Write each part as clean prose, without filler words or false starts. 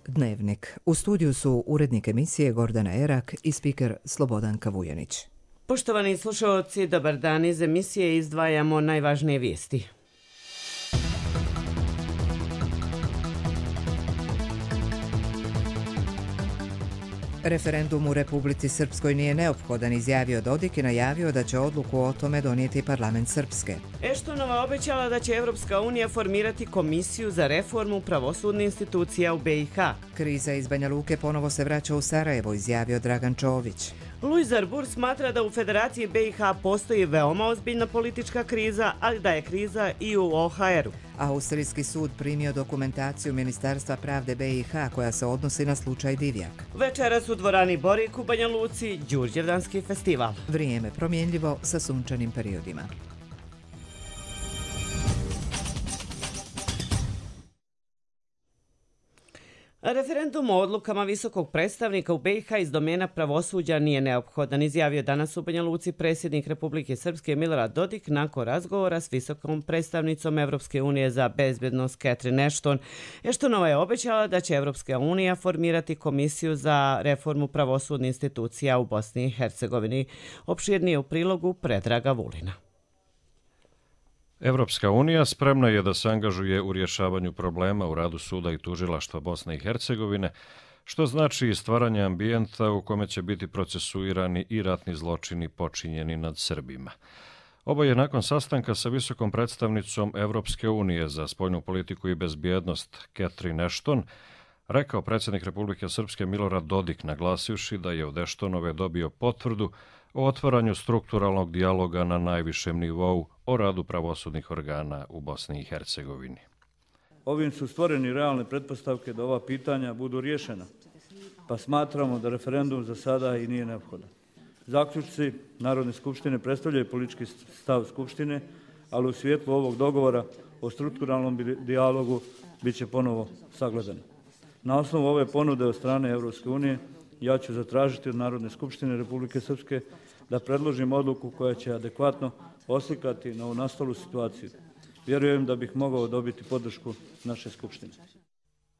Dnevnik. U studiju su urednik emisije Gordana Erak i spiker Slobodanka Vujanić. Poštovani slušalci, dobar dan. Iz emisije izdvajamo najvažnije vijesti. Referendum u Republici Srpskoj nije neophodan, izjavio Dodik i najavio da će odluku o tome donijeti parlament Srpske. Eštonova obećala da će Evropska unija formirati komisiju za reformu pravosudnih institucija u BiH. Kriza iz Banja Luke ponovo se vraća u Sarajevo, izjavio Dragan Čović. Luis Arbur smatra da u Federaciji BiH postoji veoma ozbiljna politička kriza, ali da je kriza i u OHR-u. Austrijski sud primio dokumentaciju Ministarstva pravde BiH koja se odnosi na slučaj Divjak. Večeras u dvorani Borik u Banja Luci Đurđevdanski festival. Vrijeme promjenljivo sa sunčanim periodima. Referendum o odlukama visokog predstavnika u BiH iz domena pravosuđa nije neophodan, izjavio danas u Banja Luci predsjednik Republike Srpske Milorad Dodik nakon razgovora s visokom predstavnicom Evropske unije za bezbednost Catherine Ashton. Ashtonova je obećala da će Evropska unija formirati komisiju za reformu pravosudnih institucija u Bosni i Hercegovini. Opširnije u prilogu Predraga Vulina. Evropska unija spremna je da se angažuje u rješavanju problema u radu suda i tužilaštva Bosne i Hercegovine, što znači i stvaranje ambijenta u kome će biti procesuirani i ratni zločini počinjeni nad Srbima. Ovo je nakon sastanka sa visokom predstavnicom Evropske unije za spoljnu politiku i bezbjednost Catherine Ashton rekao predsjednik Republike Srpske Milorad Dodik, naglasivši da je od Ashtonove dobio potvrdu o otvaranju strukturalnog dijaloga na najvišem nivou o radu pravosudnih organa u Bosni i Hercegovini. Ovim su stvoreni realne pretpostavke da ova pitanja budu riješena, pa smatramo da referendum za sada i nije neophodan. Zaključci Narodne skupštine predstavljaju politički stav Skupštine, ali u svjetlu ovog dogovora o strukturalnom dijalogu bit će ponovo sagledano. Na osnovu ove ponude od strane Evropske unije ja ću zatražiti od Narodne skupštine Republike Srpske da predložim odluku koja će adekvatno oslikati novonastalu situaciju. Vjerujem da bih mogao dobiti podršku naše skupštine.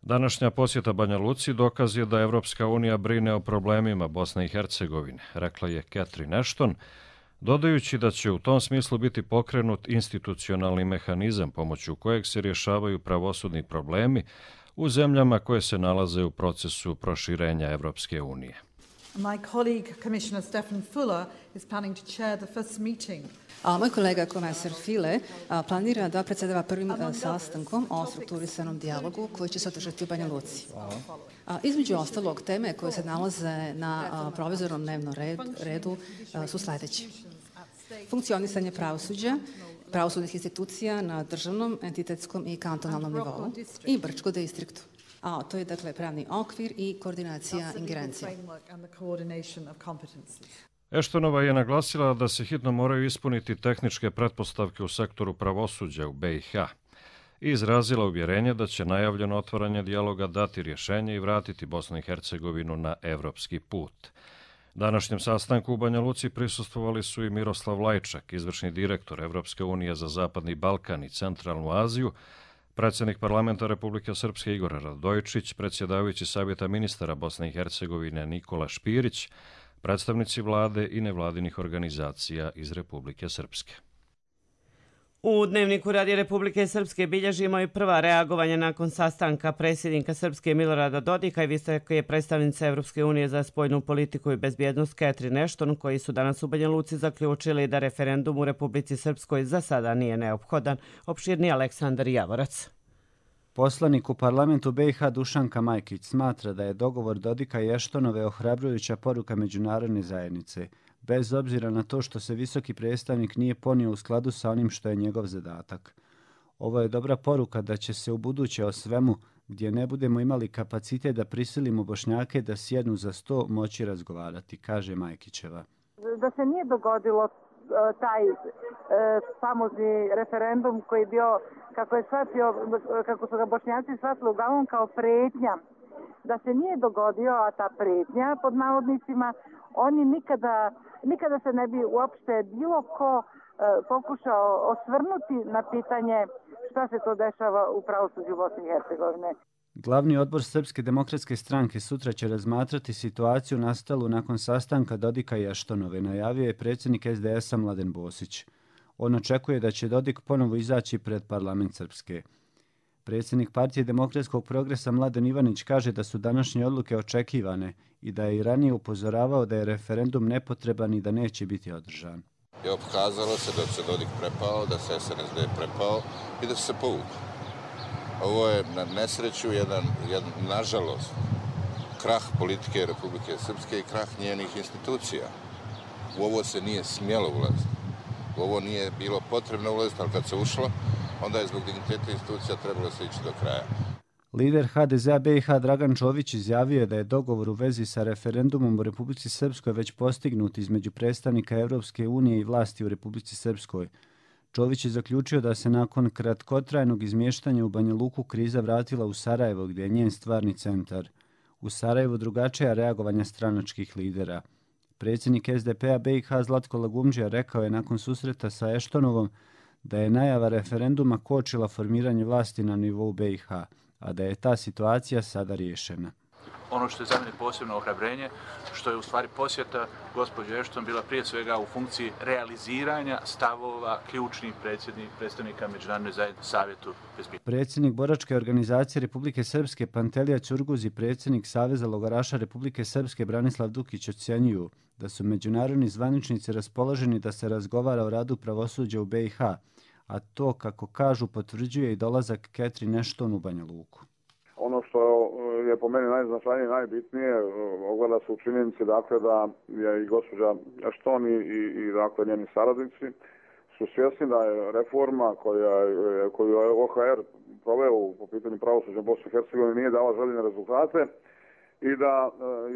Današnja posjeta Banja Luci dokaz je da Evropska unija brine o problemima Bosne i Hercegovine, rekla je Catherine Ashton, dodajući da će u tom smislu biti pokrenut institucionalni mehanizam pomoću kojeg se rješavaju pravosudni problemi u zemljama koje se nalaze u procesu proširenja Evropske unije. My colleague, Commissioner Stefan Fuller, is planning to chair the first meeting. Moj kolega komesar File planira da predsjedava prvim sastankom o strukturisanom dijalogu koji će se održati u Banja Luci. Između ostalog, teme koje se nalaze na provizornom dnevnom redu su sljedeće. Funkcionisanje pravosuđa, pravosudnih institucija na državnom, entitetskom i kantonalnom nivou i Brčko distriktu. To je dakle pravni okvir i koordinacija ingerencija. Ashtonova je naglasila da se hitno moraju ispuniti tehničke pretpostavke u sektoru pravosuđa u BiH i izrazila uvjerenje da će najavljeno otvaranje dijaloga dati rješenje i vratiti Bosnu i Hercegovinu na evropski put. Današnjem sastanku u Banja Luci prisustvovali su i Miroslav Lajčak, izvršni direktor Evropske unije za Zapadni Balkan i Centralnu Aziju, predsjednik parlamenta Republike Srpske Igor Radojičić, predsjedavajući Savjeta ministara Bosne i Hercegovine Nikola Špirić, predstavnici vlade i nevladinih organizacija iz Republike Srpske. U Dnevniku Radija Republike Srpske bilježimo i prva reagovanja nakon sastanka predsjednika Srpske Milorada Dodika i visoke predstavnice Evropske unije za spoljnu politiku i bezbjednost Catherine Ashton, koji su danas u Banja Luci zaključili da referendum u Republici Srpskoj za sada nije neophodan. Opširni Aleksandar Javorac. Poslanik u parlamentu BiH Dušanka Majkić smatra da je dogovor Dodika i Ashtonove ohrabrujuća poruka međunarodne zajednice, bez obzira na to što se visoki predstavnik nije ponio u skladu sa onim što je njegov zadatak. Ovo je dobra poruka da će se u buduće o svemu, gdje ne budemo imali kapacitet da prisilimo Bošnjake da sjednu za sto, moći razgovarati, kaže Majkićeva. Da se nije dogodilo taj famozni referendum koji je bio, kako su ga Bošnjaci shvatili uglavnom kao pretnja, da se nije dogodio, a ta pretnja pod navodnicima, oni nikada se ne bi uopšte bilo ko pokušao osvrnuti na pitanje šta se to dešava u pravosuđu Bosne i Hercegovine. Glavni odbor Srpske demokratske stranke sutra će razmatrati situaciju nastalu nakon sastanka Dodika i Ashtonove, najavio je predsjednik SDS-a Mladen Bosić. On očekuje da će Dodik ponovo izaći pred parlament Srpske. Predsjednik Partije demokratskog progresa Mladen Ivanić kaže da su današnje odluke očekivane i da je i ranije upozoravao da je referendum nepotreban i da neće biti održan. Pokazalo se da se Dodik prepao, da se SNSD prepao i da se povukao. Ovo je na nesreću jedan nažalost, krah politike Republike Srpske i krah njenih institucija. U ovo se nije smjelo ulaziti. U ovo nije bilo potrebno ulaziti, ali kad se ušlo, onda je zbog digniteta institucija trebalo se ići do kraja. Lider HDZ-a BiH Dragan Čović izjavio je da je dogovor u vezi sa referendumom u Republici Srpskoj već postignut između predstavnika Europske unije i vlasti u Republici Srpskoj. Čović je zaključio da se nakon kratkotrajnog izmještanja u Banja Luku kriza vratila u Sarajevo, gdje je njen stvarni centar. U Sarajevu drugačija reagovanja stranačkih lidera. Predsjednik SDP-a BiH Zlatko Lagumdžija rekao je nakon susreta sa Ashtonovom da je najava referenduma kočila formiranje vlasti na nivou BiH, a da je ta situacija sada riješena. Ono što je za mene posebno ohrabrenje, što je u stvari posjeta gospođe Ashton bila prije svega u funkciji realiziranja stavova ključnih predstavnika Međunarodne zajednice Savjetu bezbjednosti. Predsjednik boračke organizacije Republike Srpske Pantelija Ćurguz i predsjednik Saveza logoraša Republike Srpske Branislav Dukić ocjenjuju da su međunarodni zvaničnici raspoloženi da se razgovara o radu pravosuđa u BiH, a to, kako kažu, potvrđuje i dolazak Catherine Ashton u Banja Luku. Ono što je po meni najznačajnije i najbitnije ogleda se u činjenici dakle, da je i gospođa Ashton i dakle, njeni saradnici su svjesni da je reforma koju je OHR proveo po pitanju pravosuđa Bosne i Hercegovine nije dala željene rezultate i da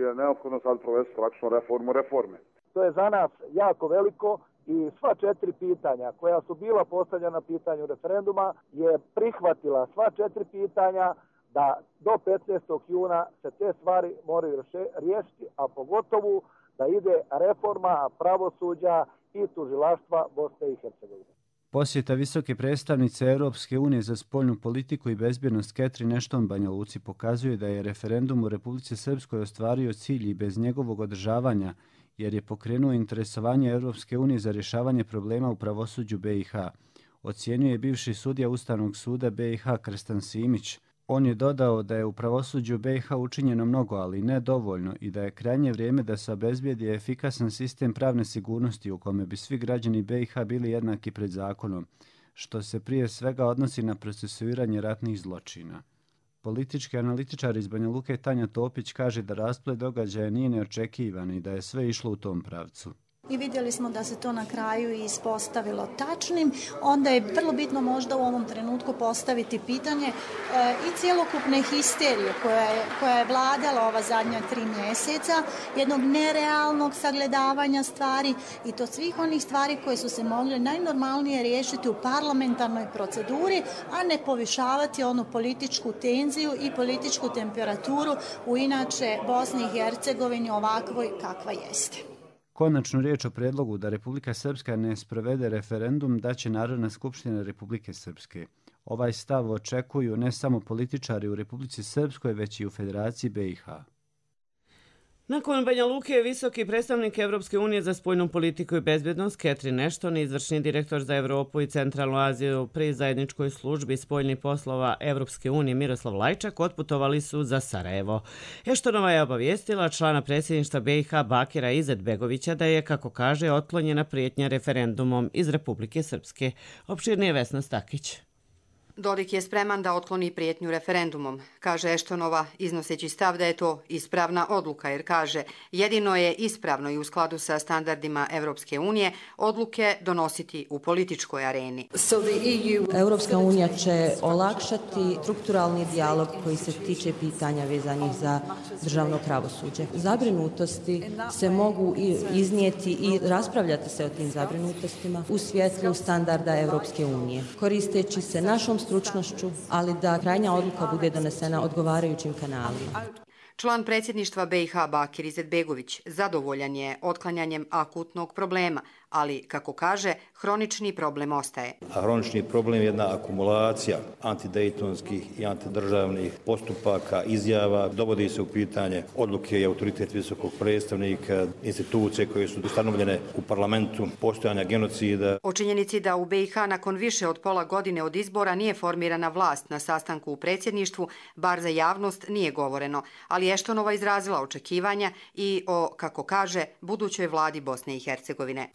je neophodno sad provesti praktično reformu reforme. To je za nas jako veliko i sva 4 pitanja koja su bila postavljena na pitanju referenduma je prihvatila sva 4 pitanja da do 15. juna se te stvari moraju riješiti, a pogotovo da ide reforma pravosuđa i tužilaštva Bosne i Hercegovine. Posjeta visoke predstavnice Europske unije za spoljnu politiku i bezbjednost Catherine Ashton Banja Luci pokazuje da je referendum u Republici Srpskoj ostvario cilj i bez njegovog održavanja, jer je pokrenuo interesovanje Europske unije za rješavanje problema u pravosuđu BiH. Ocjenjuje bivši sudija Ustavnog suda BiH Krstan Simić. On je dodao da je u pravosuđu BiH učinjeno mnogo, ali ne dovoljno i da je krajnje vrijeme da se obezbijedi efikasan sistem pravne sigurnosti u kome bi svi građani BiH bili jednaki pred zakonom, što se prije svega odnosi na procesuiranje ratnih zločina. Politički analitičar iz Banja Luke Tanja Topić kaže da rasplet događaja nije neočekivan i da je sve išlo u tom pravcu. I vidjeli smo da se to na kraju ispostavilo tačnim, onda je vrlo bitno možda u ovom trenutku postaviti pitanje i cjelokupne histerije koja je vladala ova zadnja 3 mjeseca, jednog nerealnog sagledavanja stvari i to svih onih stvari koje su se mogle najnormalnije riješiti u parlamentarnoj proceduri, a ne povišavati onu političku tenziju i političku temperaturu u inače Bosni i Hercegovini ovakvoj kakva jeste. Konačnu riječ o predlogu da Republika Srpska ne sprovede referendum daće Narodna skupština Republike Srpske. Ovaj stav očekuju ne samo političari u Republici Srpskoj, već i u Federaciji BiH. Nakon Banja Luke je visoki predstavnik Europske unije za spoljnu politiku i bezbjednost Catherine Ashton i izvršni direktor za Europu i Centralnu Aziju pri zajedničkoj službi spoljnih poslova Europske unije Miroslav Lajčak otputovali su za Sarajevo. Ashtonova je obavijestila člana predsjedništva BiH Bakira Izetbegovića da je, kako kaže, otklonjena prijetnja referendumom iz Republike Srpske. Opširnije Vesna Stakić. Dodik je spreman da otkloni prijetnju referendumom, kaže Ashtonova, iznoseći stav da je to ispravna odluka, jer kaže jedino je ispravno i u skladu sa standardima Europske unije odluke donositi u političkoj areni. Europska unija će olakšati strukturalni dijalog koji se tiče pitanja vezanih za državno pravosuđe. Zabrinutosti se mogu iznijeti i raspravljati se o tim zabrinutostima u svjetlu standarda Europske unije, koristeći se našom stručnošću, ali da krajnja odluka bude donesena odgovarajućim kanalima. Član predsjedništva BiH Bakir Izetbegović zadovoljan je otklanjanjem akutnog problema, ali, kako kaže, hronični problem ostaje. A hronični problem je jedna akumulacija antidejtonskih i antidržavnih postupaka, izjava, dovodi se u pitanje odluke i autoritet visokog predstavnika, institucije koje su ustanovljene u parlamentu, postojanja genocida. O činjenici da u BiH nakon više od pola godine od izbora nije formirana vlast na sastanku u predsjedništvu, bar za javnost nije govoreno, ali Eštonova izrazila očekivanja i o, kako kaže, budućoj vladi Bosne i Hercegovine.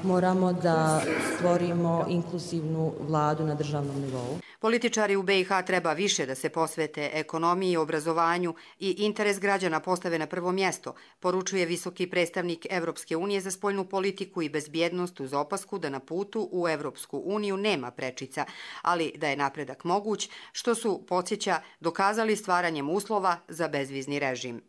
Moramo da stvorimo inkluzivnu vladu na državnom nivou. Političari u BiH treba više da se posvete ekonomiji, obrazovanju i interes građana postave na prvo mjesto, poručuje visoki predstavnik Evropske unije za spoljnu politiku i bezbjednost uz opasku da na putu u Evropsku uniju nema prečica, ali da je napredak moguć, što su, podsjeća, dokazali stvaranjem uslova za bezvizni režim.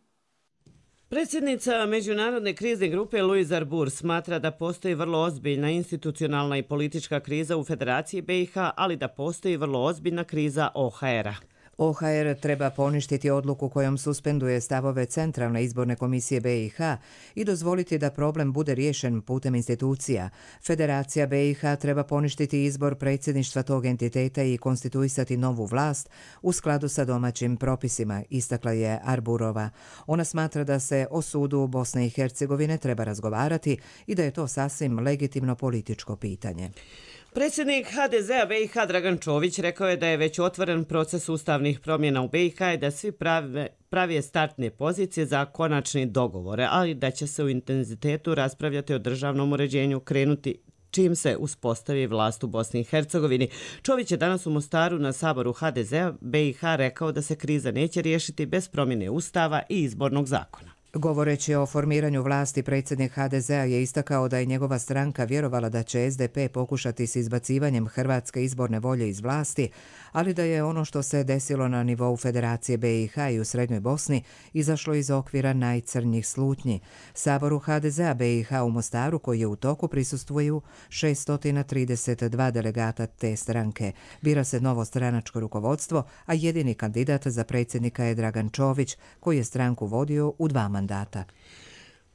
Predsjednica Međunarodne krizne grupe Louise Arbour smatra da postoji vrlo ozbiljna institucionalna i politička kriza u Federaciji BiH, ali da postoji vrlo ozbiljna kriza OHR-a. OHR treba poništiti odluku kojom suspenduje stavove Centralne izborne komisije BiH i dozvoliti da problem bude riješen putem institucija. Federacija BiH treba poništiti izbor predsjedništva tog entiteta i konstituisati novu vlast u skladu sa domaćim propisima, istakla je Arburova. Ona smatra da se o sudu Bosne i Hercegovine treba razgovarati i da je to sasvim legitimno političko pitanje. Predsjednik HDZ-a BiH Dragan Čović rekao je da je već otvoren proces ustavnih promjena u BiH i da svi prave startne pozicije za konačni dogovore, ali da će se u intenzitetu raspravljati o državnom uređenju krenuti čim se uspostavi vlast u Bosni i Hercegovini. Čović je danas u Mostaru na saboru HDZ-a BiH rekao da se kriza neće riješiti bez promjene ustava i izbornog zakona. Govoreći o formiranju vlasti, predsjednik HDZ-a je istakao da je njegova stranka vjerovala da će SDP pokušati s izbacivanjem hrvatske izborne volje iz vlasti, ali da je ono što se desilo na nivou Federacije BiH i u Srednjoj Bosni izašlo iz okvira najcrnjih slutnji. Saboru HDZ-a BiH u Mostaru, koji je u toku, prisustvuju 632 delegata te stranke. Bira se novo stranačko rukovodstvo, a jedini kandidat za predsjednika je Dragan Čović, koji je stranku vodio u 2 mandata.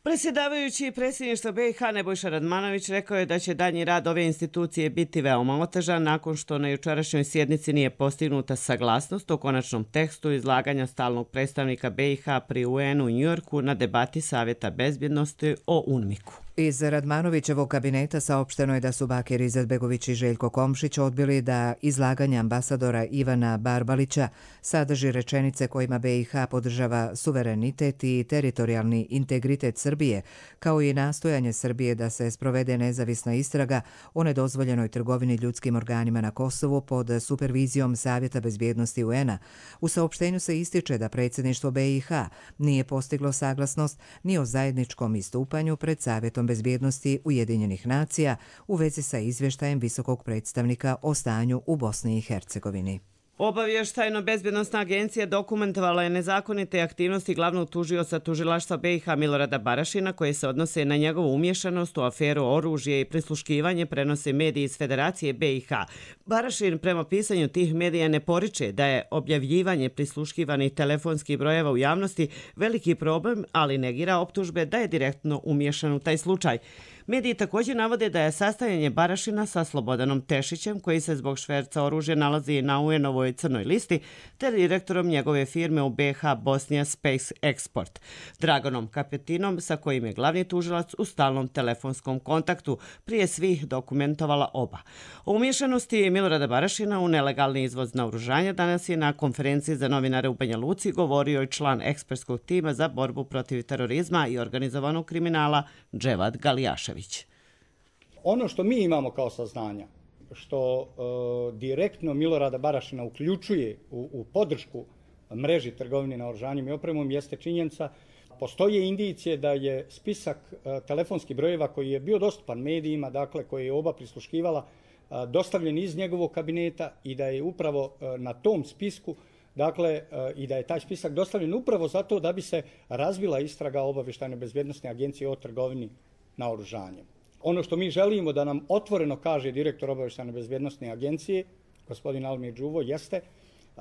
Predsjedavajući predsjedništva BiH Nebojša Radmanović rekao je da će daljnji rad ove institucije biti veoma otežan nakon što na jučerašnjoj sjednici nije postignuta saglasnost o konačnom tekstu izlaganja stalnog predstavnika BiH pri UN-u u Njujorku na debati Savjeta bezbjednosti o UNMIK-u. Iz Radmanovićevog kabineta saopšteno je da su Bakir Izetbegović i Željko Komšić odbili da izlaganje ambasadora Ivana Barbalića sadrži rečenice kojima BiH podržava suverenitet i teritorijalni integritet Srbije, kao i nastojanje Srbije da se sprovede nezavisna istraga o nedozvoljenoj trgovini ljudskim organima na Kosovu pod supervizijom Savjeta bezbjednosti UN-a. U saopštenju se ističe da predsjedništvo BiH nije postiglo saglasnost ni o zajedničkom istupanju pred Savjetom bezbjednosti Ujedinjenih nacija u vezi sa izvještajem visokog predstavnika o stanju u Bosni i Hercegovini. Obavještajno-bezbjednostna agencija dokumentovala je nezakonite aktivnosti glavnog tužioca tužilaštva BiH Milorada Barašina koje se odnose na njegovu umješanost u aferu oružje i prisluškivanje, prenose mediji iz Federacije BiH. Barašin prema pisanju tih medija ne poriče da je objavljivanje prisluškivanih telefonskih brojeva u javnosti veliki problem, ali negira optužbe da je direktno umješan u taj slučaj. Mediji također navode da je sastajanje Barašina sa Slobodanom Tešićem, koji se zbog šverca oružja nalazi na UN-ovoj crnoj listi, te direktorom njegove firme u BiH Bosnia Space Export, Draganom Kapetinom, sa kojim je glavni tužilac u stalnom telefonskom kontaktu, prije svih dokumentovala oba. O umješanosti Milorada Barašina u nelegalni izvoz naoružanja danas je na konferenciji za novinare u Banja Luci govorio i član ekspertskog tima za borbu protiv terorizma i organizovanog kriminala Dževad Galijašević. Ono što mi imamo kao saznanja, što direktno Milorada Barašina uključuje u podršku mreži trgovine naoružanjem i opremom, jeste činjenica. Postoje indicije da je spisak telefonskih brojeva koji je bio dostupan medijima, dakle koji je oba prisluškivala, dostavljen iz njegovog kabineta i da je upravo na tom spisku, dakle, i da je taj spisak dostavljen upravo zato da bi se razvila istraga Obavještajne bezbjednosne agencije o trgovini naoružanjem. Ono što mi želimo da nam otvoreno kaže direktor Obavještajne bezbjednosne agencije, gospodin Almir Đuvo, jeste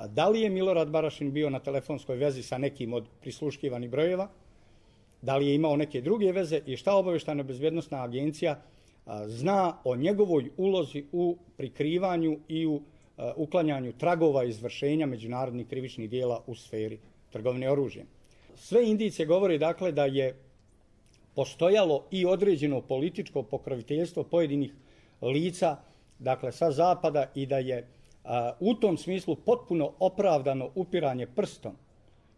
da li je Milorad Barašin bio na telefonskoj vezi sa nekim od prisluškivanih brojeva da li je imao neke druge veze i šta obavještajna bezbjednosna agencija zna o njegovoj ulozi u prikrivanju i u uklanjanju tragova izvršenja međunarodnih krivičnih dijela u sferi trgovine oružjem. Sve indicije govore dakle da je postojalo i određeno političko pokroviteljstvo pojedinih lica, dakle sa zapada, i da je u tom smislu potpuno opravdano upiranje prstom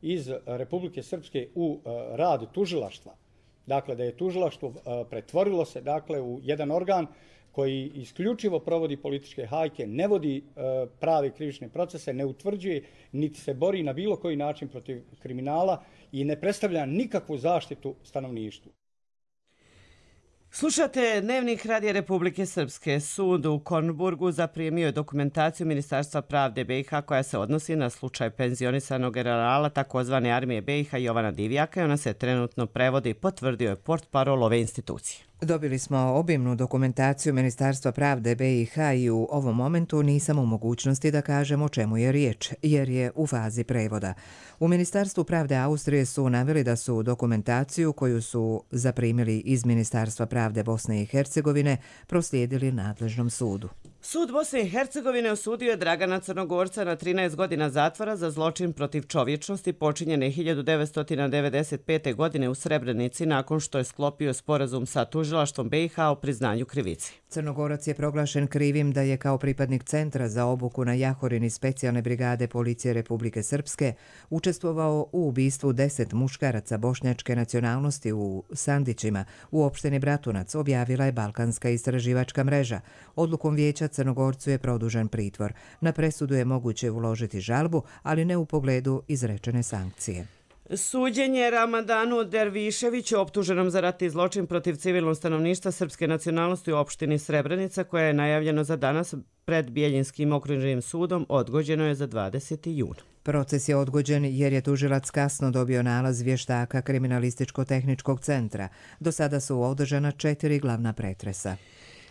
iz Republike Srpske u rad tužilaštva. Dakle, da je tužilaštvo pretvorilo se dakle u jedan organ koji isključivo provodi političke hajke, ne vodi prave krivične procese, ne utvrđuje niti se bori na bilo koji način protiv kriminala i ne predstavlja nikakvu zaštitu stanovništvu. Slušate Dnevnik Radija Republike Srpske. Sud u Kornburgu zaprimio je dokumentaciju Ministarstva pravde BiH koja se odnosi na slučaj penzionisanog generala takozvane armije BiH Jovana Divjaka i ona se trenutno prevodi, potvrdio je portparol ove institucije. Dobili smo obimnu dokumentaciju Ministarstva pravde BiH i u ovom momentu nisam u mogućnosti da kažem o čemu je riječ, jer je u fazi prevoda. U Ministarstvu pravde Austrije su naveli da su dokumentaciju koju su zaprimili iz Ministarstva pravde Bosne i Hercegovine proslijedili nadležnom sudu. Sud Bosne i Hercegovine osudio je Dragana Crnogorca na 13 godina zatvora za zločin protiv čovječnosti počinjene 1995. godine u Srebrenici nakon što je sklopio sporazum sa tužilaštvom BiH o priznanju krivici. Crnogorac je proglašen krivim da je kao pripadnik Centra za obuku na Jahorini specijalne brigade policije Republike Srpske učestvovao u ubistvu 10 muškaraca bošnjačke nacionalnosti u Sandićima u opštini Bratunac, objavila je Balkanska istraživačka mreža. Odlukom vijeća Crnogorcu je produžen pritvor. Na presudu je moguće uložiti žalbu, ali ne u pogledu izrečene sankcije. Suđenje Ramadanu Derviševiću, optuženom za ratni zločin protiv civilnog stanovništva srpske nacionalnosti u opštini Srebrenica, koje je najavljeno za danas pred Bjeljinskim okružnim sudom, odgođeno je za 20. juna. Proces je odgođen jer je tužilac kasno dobio nalaz vještaka Kriminalističko-tehničkog centra. Do sada su održana 4 glavna pretresa.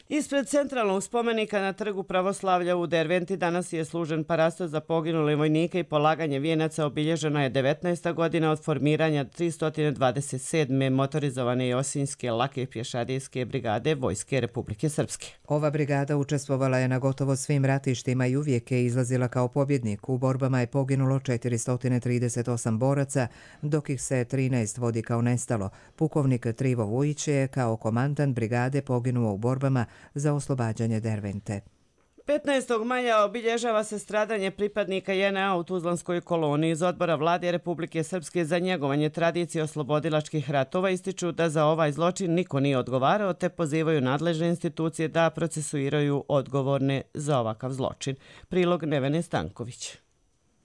Ispred centralnog spomenika na Trgu pravoslavlja u Derventi danas je služen parasto za poginule vojnike i polaganje vijenaca. Obilježena je 19. godina od formiranja 327. motorizovane Josinjske lake pješadijske brigade Vojske Republike Srpske. Ova brigada učestvovala je na gotovo svim ratištima i uvijek je izlazila kao pobjednik. U borbama je poginulo 438 boraca, dok ih se 13 vodi kao nestalo. Pukovnik Trivo Vujić je kao komandant brigade poginuo u borbama za oslobađanje Dervente. 15. maja obilježava se stradanje pripadnika JNA u Tuzlanskoj koloniji. Iz odbora vlade Republike Srpske za njegovanje tradicije oslobodilačkih ratova ističu da za ovaj zločin niko nije odgovarao, te pozivaju nadležne institucije da procesuiraju odgovorne za ovakav zločin. Prilog Nevene Stanković.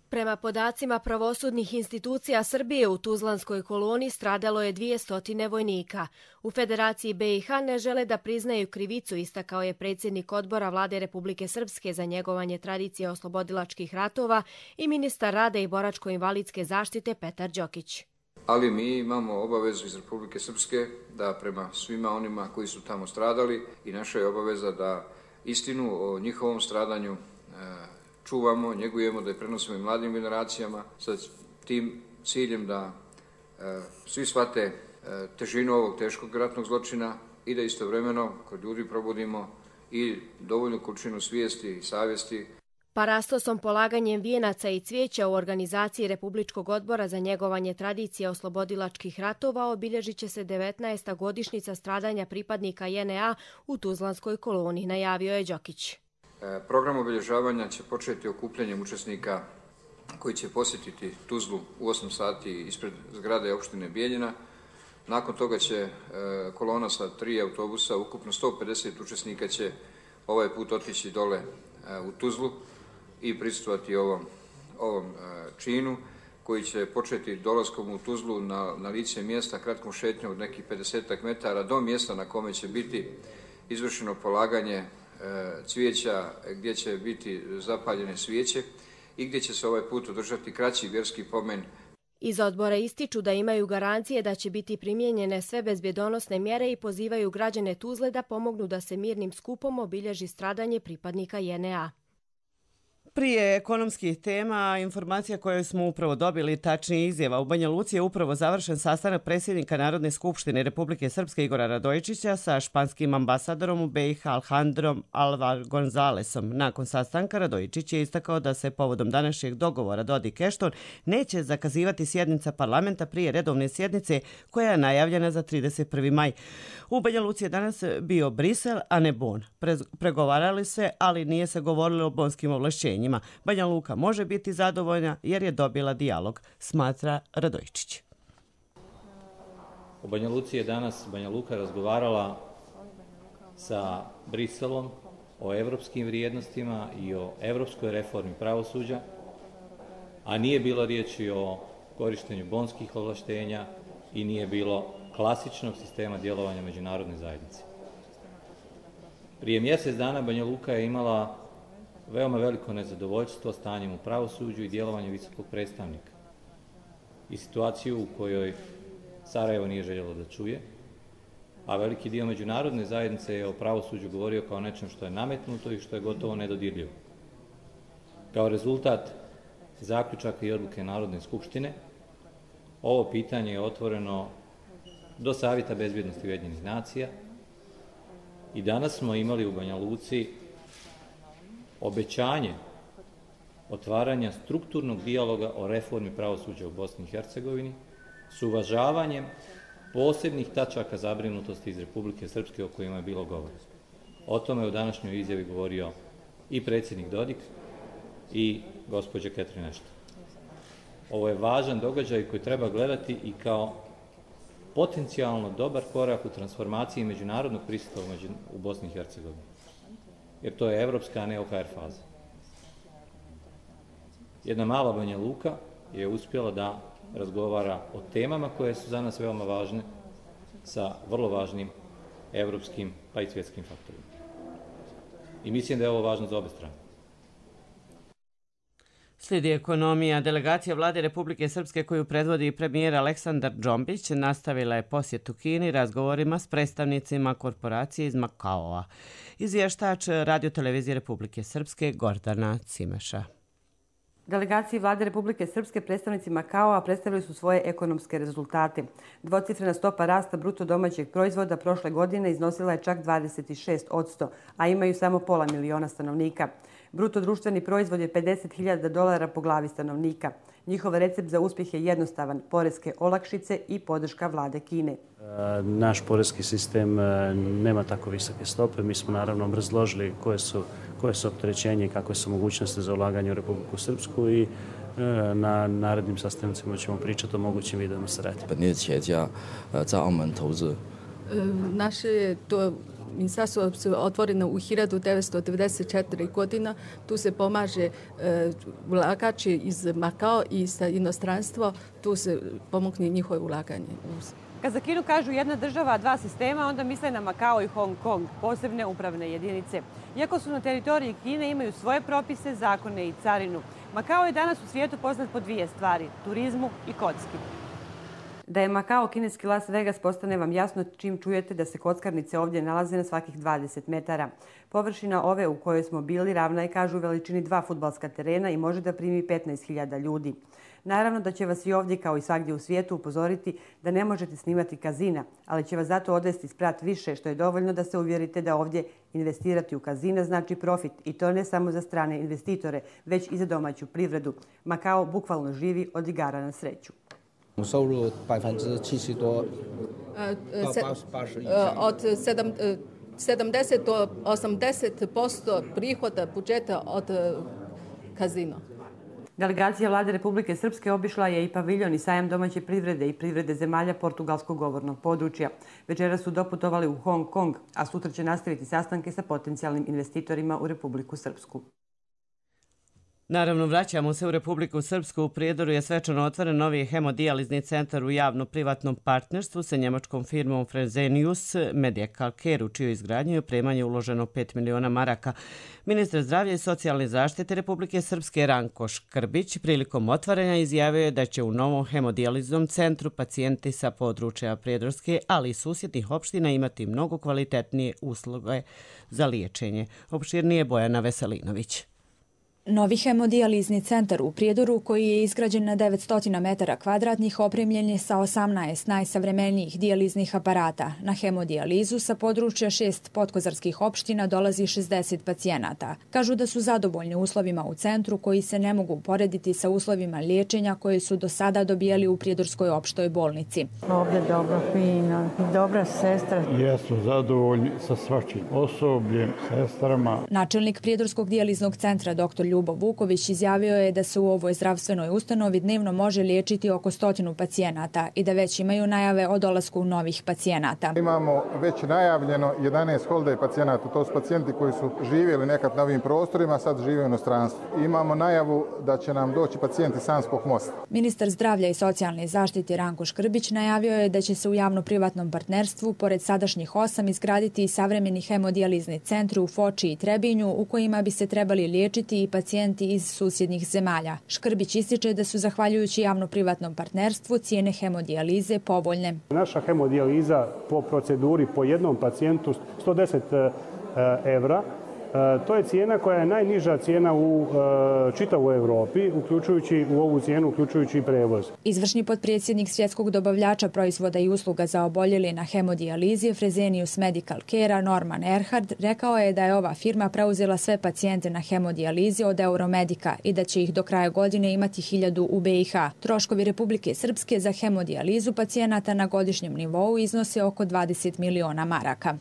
Prema podacima pravosudnih institucija Srbije u Tuzlanskoj koloniji stradalo je 200 vojnika. U Federaciji BiH ne žele da priznaju krivicu, istakao je predsjednik odbora vlade Republike Srpske za njegovanje tradicije oslobodilačkih ratova i ministar rada i boračko-invalidske zaštite Petar Đokić. Ali mi imamo obavezu iz Republike Srpske da prema svima onima koji su tamo stradali i naša je obaveza da istinu o njihovom stradanju čuvamo, njegujemo, da je prenosimo i mladim generacijama sa tim ciljem da svi shvate težinu ovog teškog ratnog zločina i da istovremeno kod ljudi probudimo i dovoljnu količinu svijesti i savjesti. Parastosom, polaganjem vijenaca i cvijeća u organizaciji Republičkog odbora za njegovanje tradicije oslobodilačkih ratova obilježit će se 19. godišnjica stradanja pripadnika JNA u Tuzlanskoj koloniji, najavio je Đokić. Program obilježavanja će početi okupljanjem učesnika koji će posjetiti Tuzlu u 8 sati ispred zgrade opštine Bijeljina. Nakon toga će kolona sa 3 autobusa, ukupno 150 učesnika će ovaj put otići dole u Tuzlu i prisustvovati ovom činu koji će početi dolaskom u Tuzlu na lice mjesta kratkom šetnjom od nekih 50 metara do mjesta na kome će biti izvršeno polaganje cvijeća, gdje će biti zapaljene svijeće i gdje će se ovaj put održati kraći vjerski pomen. Iz odbora ističu da imaju garancije da će biti primijenjene sve bezbjedonosne mjere i pozivaju građane Tuzle da pomognu da se mirnim skupom obilježi stradanje pripadnika JNA. Prije ekonomskih tema, informacija koju smo upravo dobili, tačnije izjava, u Banja Luci je upravo završen sastanak predsjednika Narodne skupštine Republike Srpske Igora Radojičića sa španskim ambasadorom u BiH Alejandrom Alvar Gonzalesom. Nakon sastanka Radojičić je istakao da se povodom današnjeg dogovora Dodik-Ešton neće zakazivati sjednica parlamenta prije redovne sjednice koja je najavljena za 31. maj. U Banja Luci je danas bio Brisel, a ne Bon. Pregovarali se, ali nije se govorilo o bonskim ovlašćenjima. Banja Luka može biti zadovoljna jer je dobila dijalog, smatra Radojičić. U Banja Luci je danas Banja Luka razgovarala sa Briselom o evropskim vrijednostima i o evropskoj reformi pravosuđa, a nije bilo riječi o korištenju bonskih ovlaštenja i nije bilo klasičnog sistema djelovanja međunarodne zajednice. Prije mjesec dana Banja Luka je imala veoma veliko nezadovoljstvo stanjem u pravosuđu i djelovanjem visokog predstavnika i situaciju u kojoj Sarajevo nije željelo da čuje, a veliki dio međunarodne zajednice je o pravosuđu govorio kao nečem što je nametnuto i što je gotovo nedodirljivo. Kao rezultat zaključaka i odluke Narodne skupštine, ovo pitanje je otvoreno do Savjeta bezbjednosti Ujedinjenih nacija i danas smo imali u Banja Luci obećanje otvaranja strukturnog dijaloga o reformi pravosuđa u Bosni i Hercegovini s uvažavanjem posebnih tačaka zabrinutosti iz Republike Srpske o kojima je bilo govora. O tome je u današnjoj izjavi govorio i predsjednik Dodik i gospođa Catherine Ashton. Ovo je važan događaj koji treba gledati i kao potencijalno dobar korak u transformaciji međunarodnog prisutstva u Bosni i Hercegovini. Jer to je evropska, a ne OHR faza. Jedna mala Banja Luka je uspjela da razgovara o temama koje su za nas veoma važne sa vrlo važnim evropskim pa i svjetskim faktorima. I mislim da je ovo važno za obe strane. Slijedi ekonomija. Delegacija vlade Republike Srpske koju predvodi premijer Aleksandar Džombić nastavila je posjetu Kini razgovorima s predstavnicima korporacije iz Makaoa. Izvještač Radio-televizije Republike Srpske Gordana Cimeša. Delegaciji vlade Republike Srpske predstavnici Makaoa predstavili su svoje ekonomske rezultate. Dvocifrena stopa rasta bruto domaćeg proizvoda prošle godine iznosila je čak 26%, a imaju samo pola miliona stanovnika. Bruto društveni proizvod je $50.000 po glavi stanovnika. Njihov recept za uspjeh je jednostavan, poreske olakšice i podrška vlade Kine. Naš poreski sistem nema tako visoke stope. Mi smo naravno obrazložili koje su opterećenje i kakve su mogućnosti za ulaganje u Republiku Srpsku i na narednim sastancima ćemo pričati o mogućim vidovima saradnje. Naše je to ministarstvo otvoreno u 1994. godina. Tu se pomaže ulagači iz Makao i sa inostranstvo. Tu se pomogne njihovo ulaganje. Kad za Kinu kažu jedna država, dva sistema, onda misle na Makao i Hong Kong, posebne upravne jedinice. Iako su na teritoriji Kine, imaju svoje propise, zakone i carinu. Makao je danas u svijetu poznat po dvije stvari, turizmu i kocki. Da je Makao kineski Las Vegas postane vam jasno čim čujete da se kockarnice ovdje nalaze na svakih 20 metara. Površina ove u kojoj smo bili ravna je, kažu, veličini 2 fudbalska terena i može da primi 15.000 ljudi. Naravno da će vas i ovdje kao i svagdje u svijetu upozoriti da ne možete snimati kazina, ali će vas zato odvesti sprat više, što je dovoljno da se uvjerite da ovdje investirati u kazina znači profit, i to ne samo za strane investitore, već i za domaću privredu. Makao bukvalno živi od igara na sreću. Od 70 do 80% prihoda budžeta od kazina. Delegacija vlade Republike Srpske obišla je i paviljon i sajam domaće privrede i privrede zemalja portugalskog govornog područja. Večera su doputovali u Hong Kong, a sutra će nastaviti sastanke sa potencijalnim investitorima u Republiku Srpsku. Naravno, vraćamo se u Republiku Srpsku. U Prijedoru je svečano otvoren novi hemodijalizni centar u javno-privatnom partnerstvu sa njemačkom firmom Fresenius Medical Care, u čijoj izgradnju i opremanju je uloženo 5 miliona maraka. Ministar zdravlja i socijalne zaštite Republike Srpske Ranko Škrbić prilikom otvaranja izjavio je da će u novom hemodijaliznom centru pacijenti sa područja Prijedorske, ali i susjednih opština imati mnogo kvalitetnije usluge za liječenje. Opširnije Bojana Veselinović. Novi hemodijalizni centar u Prijedoru, koji je izgrađen na 900 metara kvadratnih, opremljen je sa 18 najsavremenijih dijaliznih aparata. Na hemodijalizu sa područja 6 podkozarskih opština dolazi 60 pacijenata. Kažu da su zadovoljni uslovima u centru, koji se ne mogu porediti sa uslovima liječenja koje su do sada dobijali u Prijedorskoj opštoj bolnici. Ovdje dobro, fino, dobra sestra. Jesu zadovoljni sa svačim osobljem, sestrama. Načelnik Prijedorskog dijaliznog centra dr. Ljubo Vuković izjavio je da se u ovoj zdravstvenoj ustanovi dnevno može liječiti oko 100 pacijenata i da već imaju najave o dolasku novih pacijenata. Imamo već najavljeno 11 holday pacijenata, to su pacijenti koji su živjeli nekad na ovim prostorima, sad žive u inostranstvu. Imamo najavu da će nam doći pacijenti Sanskog mosta. Ministar zdravlja i socijalne zaštite Ranko Škrbić najavio je da će se u javno-privatnom partnerstvu pored sadašnjih 8 izgraditi i savremeni hemodijalizni centri u Foči i Trebinju u kojima bi se trebali liječiti i pacijenti iz susjednih zemalja. Škrbić ističe da su zahvaljujući javno-privatnom partnerstvu cijene hemodijalize povoljne. Naša hemodijaliza po proceduri po jednom pacijentu 110 evra. To je cijena koja je najniža cijena u čitavoj Europi, uključujući u ovu cijenu, uključujući i prevoz. Izvršni potpredsjednik svjetskog dobavljača proizvoda i usluga za oboljeli na hemodijalizi Fresenius Medical Care Norman Erhard rekao je da je ova firma preuzela sve pacijente na hemodijalizi od Euromedika i da će ih do kraja godine imati 1000 u BiH. Troškovi Republike Srpske za hemodijalizu pacijenata na godišnjem nivou iznose oko 20 miliona maraka.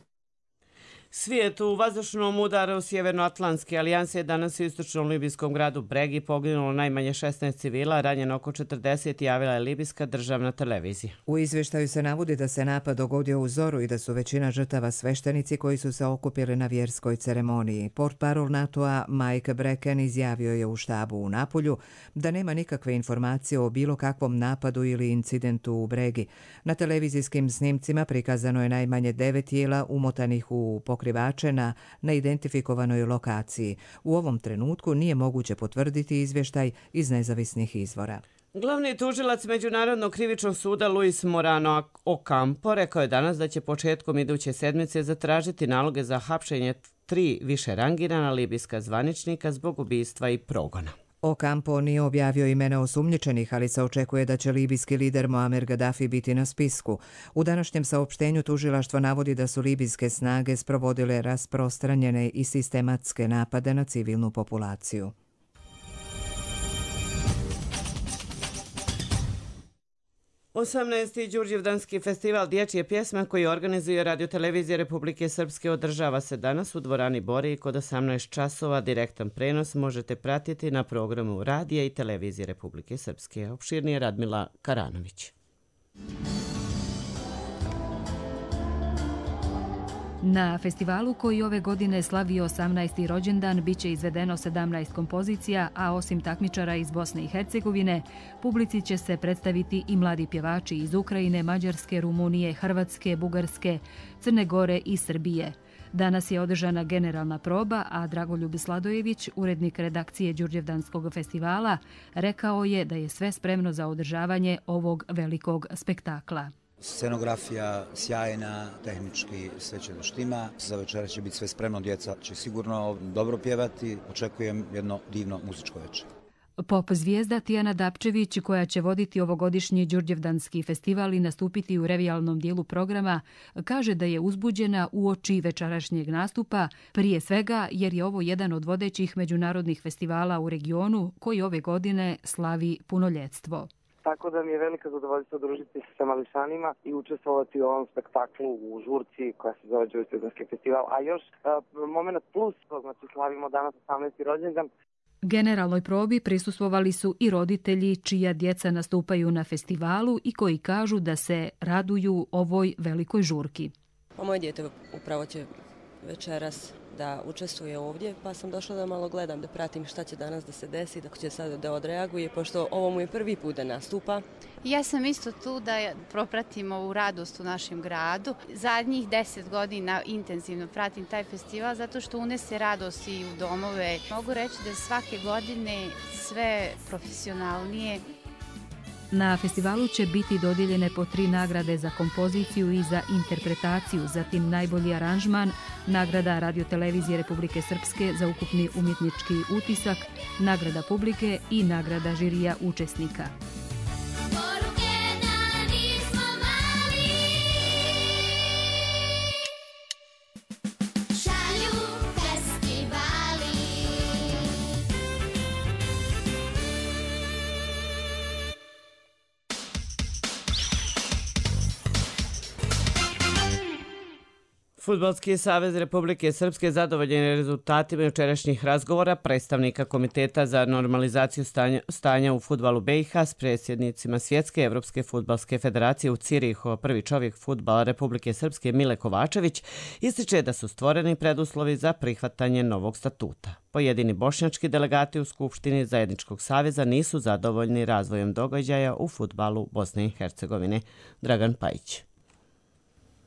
Svijet u vazdušnom udaru Sjevernoatlantske alijanse je danas u istočnom libijskom gradu Bregi poginulo najmanje 16 civila, ranjeno oko 40, javila je libijska državna televizija. U izvještaju se navodi da se napad dogodio u zoru i da su većina žrtava sveštenici koji su se okupili na vjerskoj ceremoniji. Portparol NATO-a Mike Brecken izjavio je u štabu u Napulju da nema nikakve informacije o bilo kakvom napadu ili incidentu u Bregi. Na televizijskim snimcima prikazano je najmanje 9 tijela umotanih u pokrivače na neidentifikovanoj lokaciji. U ovom trenutku nije moguće potvrditi izvještaj iz nezavisnih izvora. Glavni tužilac Međunarodnog krivičnog suda Luis Morano Ocampo rekao je danas da će početkom iduće sedmice zatražiti naloge za hapšenje 3 više rangirana libijska zvaničnika zbog ubistva i progona. Ocampo nije objavio imena osumnjičenih, ali se očekuje da će libijski lider Muammar Gaddafi biti na spisku. U današnjem saopštenju tužilaštvo navodi da su libijske snage sprovodile rasprostranjene i sistematske napade na civilnu populaciju. 18. Đurđevdanski festival dječje pjesme koji organizuje Radiotelevizija Republike Srpske održava se danas u dvorani Boriji kod 18 časova. Direktan prenos možete pratiti na programu Radija i Televizije Republike Srpske. Opširnije Radmila Karanović. Na festivalu koji ove godine slavi 18. rođendan biće izvedeno 17 kompozicija, a osim takmičara iz Bosne i Hercegovine, publici će se predstaviti i mladi pjevači iz Ukrajine, Mađarske, Rumunije, Hrvatske, Bugarske, Crne Gore i Srbije. Danas je održana generalna proba, a Dragoljub Sladojević, urednik redakcije Đurđevdanskog festivala, rekao je da je sve spremno za održavanje ovog velikog spektakla. Scenografija sjajna, tehnički sve će da štima. Za večera će biti sve spremno, djeca će sigurno dobro pjevati. Očekujem jedno divno muzičko večer. Pop zvijezda Tijana Dapčević, koja će voditi ovogodišnji Đurđevdanski festival i nastupiti u revijalnom dijelu programa, kaže da je uzbuđena uoči večerašnjeg nastupa, prije svega jer je ovo jedan od vodećih međunarodnih festivala u regionu koji ove godine slavi punoljetstvo. Tako da mi je velika zadovoljstvo družiti se sa mališanima i učestvovati u ovom spektaklu u žurci koja se zove Đurđevdanski festival. A još moment plus, znači slavimo danas 18. rođendan. Generalnoj probi prisustvovali su i roditelji čija djeca nastupaju na festivalu i koji kažu da se raduju ovoj velikoj žurki. Moje dijete upravo će večeras da učestvuje ovdje, pa sam došla da malo gledam, da pratim šta će danas da se desi, da će sad da odreaguje, pošto ovo mu je prvi put da nastupa. Ja sam isto tu da propratim ovu radost u našem gradu. Zadnjih 10 godina intenzivno pratim taj festival zato što unese radost i u domove. Mogu reći da svake godine sve profesionalnije. Na festivalu će biti dodijeljene po 3 nagrade za kompoziciju i za interpretaciju, zatim najbolji aranžman, nagrada Radiotelevizije Republike Srpske za ukupni umjetnički utisak, nagrada publike i nagrada žirija učesnika. Fudbalski savez Republike Srpske zadovoljen je rezultatima jučerašnjih razgovora predstavnika Komiteta za normalizaciju stanja u fudbalu BiH s predsjednicima Svjetske Evropske fudbalske federacije u Cirihu. Prvi čovjek fudbala Republike Srpske Mile Kovačević ističe da su stvoreni preduslovi za prihvatanje novog statuta. Pojedini bošnjački delegati u Skupštini Zajedničkog saveza nisu zadovoljni razvojem događaja u fudbalu Bosne i Hercegovine. Dragan Pajić.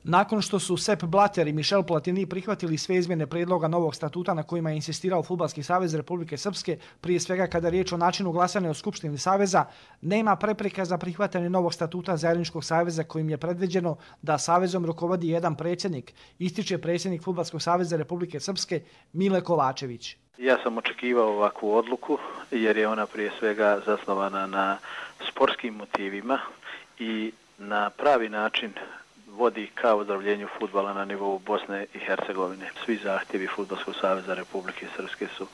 Nakon što su Sepp Blatter i Michel Platini prihvatili sve izmjene predloga novog statuta na kojima je insistirao Fudbalski savez Republike Srpske, prije svega kada je riječ o načinu glasanja u Skupštini saveza, nema prepreka za prihvatanje novog statuta Zajedničkog saveza kojim je predviđeno da savezom rukovodi jedan predsjednik, ističe predsjednik Fudbalskog saveza Republike Srpske Mile Kovačević. Ja sam očekivao ovakvu odluku jer je ona prije svega zasnovana na sportskim motivima i na pravi način vodi ka ozdravljenju fudbala na nivou Bosne i Hercegovine. Svi zahtjevi Fudbalskog saveza Republike Srpske su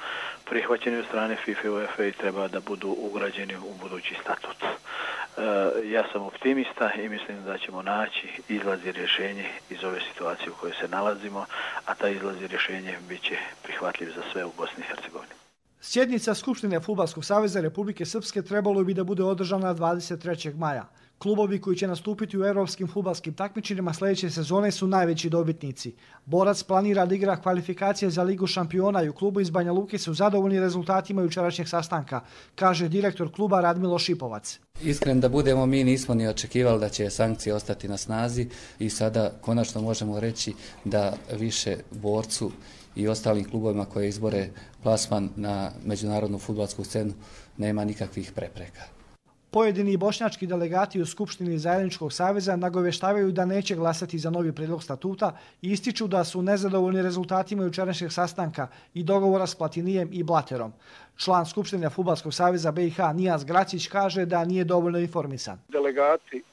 prihvaćeni od strane FIFA i UEFA i treba da budu ugrađeni u budući statut. Ja sam optimista i mislim da ćemo naći izlaz i rješenje iz ove situacije u kojoj se nalazimo, a ta izlaz i rješenje bit će prihvatljiv za sve u Bosni i Hercegovini. Sjednica Skupštine Fudbalskog saveza Republike Srpske trebalo bi da bude održana 23. maja. Klubovi koji će nastupiti u europskim fudbalskim takmičenjima sljedeće sezone su najveći dobitnici. Borac planira da igra kvalifikacije za Ligu šampiona i u klubu iz Banja Luke su zadovoljni rezultatima jučerašnjeg sastanka, kaže direktor kluba Radmilo Šipovac. Iskren da budemo, mi nismo ni očekivali da će sankcije ostati na snazi i sada konačno možemo reći da više Borcu i ostalim klubovima koje izbore plasman na međunarodnu fudbalsku scenu nema nikakvih prepreka. Pojedini bošnjački delegati u Skupštini Zajedničkog saveza nagoveštavaju da neće glasati za novi prijedlog statuta i ističu da su nezadovoljni rezultatima jučerašnjeg sastanka i dogovora s Platinijem i Blaterom. Član Skupštine Fudbalskog saveza BiH Nijaz Gracić kaže da nije dovoljno informisan. Delegati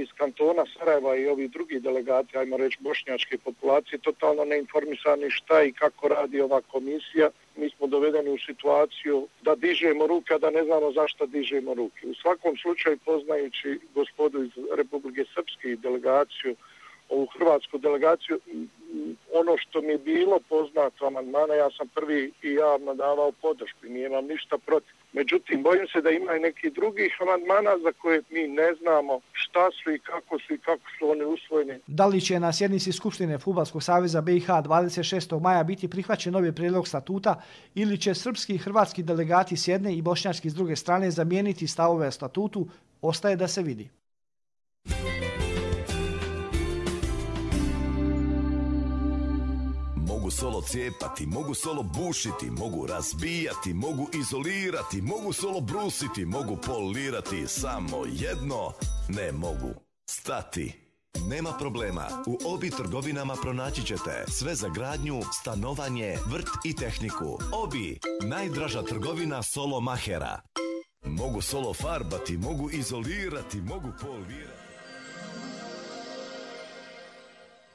iz kantona Sarajeva i ovi drugi delegati, ajmo reći bošnjačke populacije, totalno neinformisani šta i kako radi ova komisija. Mi smo dovedeni u situaciju da dižemo ruke, a da ne znamo zašto dižemo ruke. U svakom slučaju, poznajući gospodu iz Republike Srpske i delegaciju, ovu hrvatsku delegaciju, ono što mi je bilo poznato amandmana, ja sam prvi i javno davao podršku i nije vam ništa protiv. Međutim, bojim se da ima i nekih drugih amandmana za koje mi ne znamo šta su i kako su oni usvojeni. Da li će na sjednici Skupštine Fudbalskog saveza BiH 26. maja biti prihvaćen novi prijedlog statuta ili će srpski i hrvatski delegati s jedne i bošnjački s druge strane zamijeniti stavove o statutu, ostaje da se vidi. Mogu solo cijepati, mogu solo bušiti, mogu razbijati, mogu izolirati, mogu solo brusiti, mogu polirati, samo jedno ne mogu stati. Nema problema, u Obi trgovinama pronaći ćete sve za gradnju, stanovanje, vrt i tehniku. Obi, najdraža trgovina solo mahera. Mogu solo farbati, mogu izolirati, mogu polirati.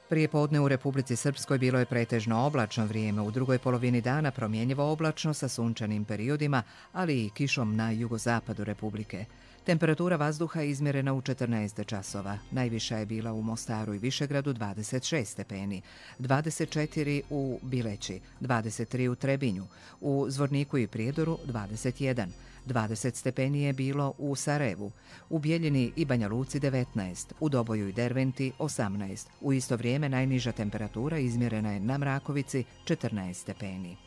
Prije podne u Republici Srpskoj bilo je pretežno oblačno vrijeme, u drugoj polovini dana promjenjivo oblačno sa sunčanim periodima, ali i kišom na jugozapadu Republike. Temperatura vazduha je izmjerena u 14 časova. Najviša je bila u Mostaru i Višegradu 26 stepeni, 24 u Bileći, 23 u Trebinju, u Zvorniku i Prijedoru 21, 20 stepeni je bilo u Sarajevu, u Bijeljini i Banja Luci 19, u Doboju i Derventi 18. U isto vrijeme najniža temperatura izmjerena je na Mrakovici 14 stepeni.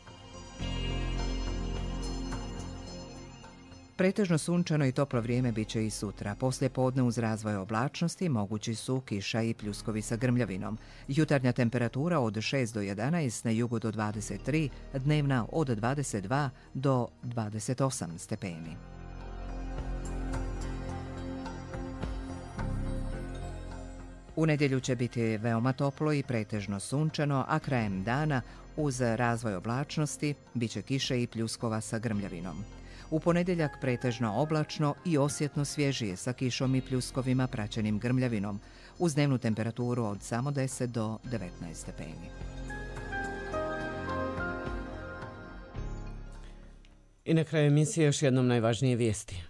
Pretežno sunčano i toplo vrijeme bit će i sutra. Poslije podne uz razvoj oblačnosti mogući su kiša i pljuskovi sa grmljavinom. Jutarnja temperatura od 6 do 11, na jugu do 23, dnevna od 22 do 28 stepeni. U nedjelju će biti veoma toplo i pretežno sunčano, a krajem dana uz razvoj oblačnosti bit će kiše i pljuskova sa grmljavinom. U ponedjeljak pretežno oblačno i osjetno svježije sa kišom i pljuskovima praćenim grmljavinom, uz dnevnu temperaturu od samo 10 do 19 stepeni. I na kraju emisije još jednom najvažnije vijesti.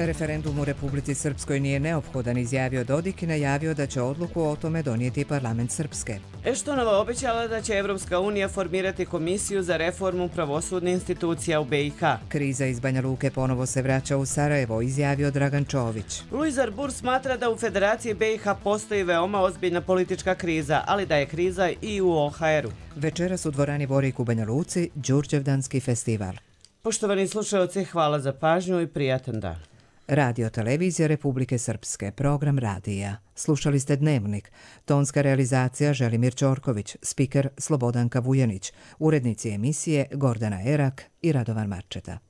Referendum u Republici Srpskoj nije neophodan, izjavio Dodik i najavio da će odluku o tome donijeti parlament Srpske. Eštonova obećala da će Evropska unija formirati komisiju za reformu pravosudnih institucija u BiH. Kriza iz Banja Luke ponovo se vraća u Sarajevo, izjavio Dragan Čović. Luis Arbur smatra da u Federaciji BiH postoji veoma ozbiljna politička kriza, ali da je kriza i u OHR-u. Večeras u dvorani Vorik u Banja Luci Đurđevdanski festival. Poštovani slušalci, hvala za pažnju i prijatan dan. Radio Televizija Republike Srpske, program radija. Slušali ste Dnevnik. Tonska realizacija Želimir Ćorković, spiker Slobodanka Vujanić, urednici emisije Gordana Erak i Radovan Marčeta.